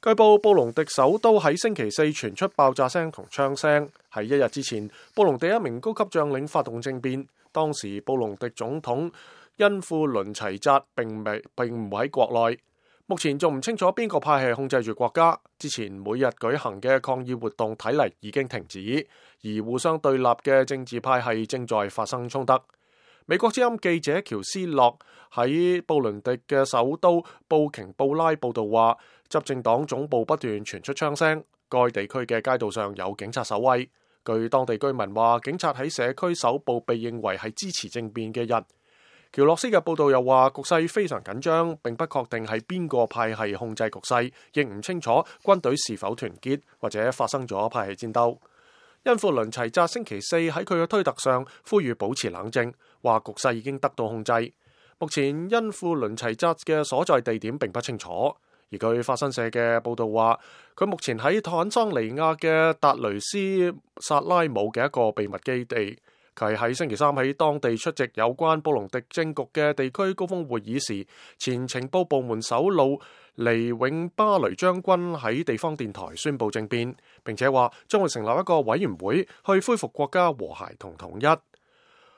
據報，布隆迪首都喺星期四傳出爆炸聲同槍聲。喺一日之前，布隆迪一名高級將領發動政變，當時布隆迪總統恩庫倫齊扎並唔喺國內。目前仲唔清楚邊個派系控制住國家。之前每日舉行嘅抗議活動睇嚟已經停止，而互相對立嘅政治派系正在發生衝突。美國之音記者喬斯洛喺布倫迪嘅首都布瓊布拉報道話，執政黨總部不斷傳出槍聲，該地區嘅街道上有警察守衛。據當地居民話，警察喺社區搜捕被認為係支持政變嘅人。喬洛斯嘅報道又話，局勢非常緊張，並不確定係邊個派系控制局勢，亦唔清楚軍隊是否團結或者發生咗派系戰鬥。恩庫倫齊扎星期四喺佢嘅推特上呼籲保持冷靜，話局勢已經得到控制。目前恩庫倫齊扎嘅所在地點並不清楚，而據法新社嘅報道話，佢目前喺坦桑尼亞嘅達雷斯薩拉姆嘅一個秘密基地。佢喺星期三喺當地出席有關布隆迪政局嘅地區高峰會議時，前情報部門首腦尼永巴雷將軍喺地方電台宣布政變，並且話將會成立一個委員會去恢復國家和諧同統一。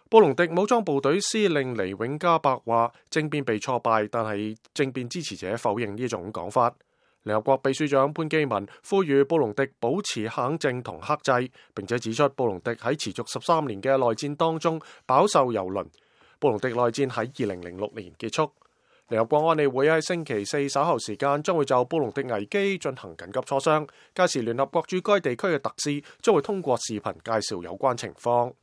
布隆迪武裝部隊司令尼永加伯話，政變被挫敗，但係政變支持者否認呢種講法。聯合國秘書長潘基文呼籲布隆迪保持冷靜同克制，並且指出布隆迪喺持續13年嘅內戰當中飽受蹂躪。布隆迪內戰喺2006年結束。聯合國安理會喺星期四稍後時間將會就布隆迪危機進行緊急磋商，屆時聯合國駐該地區嘅特使將會通過視頻介紹有關情況。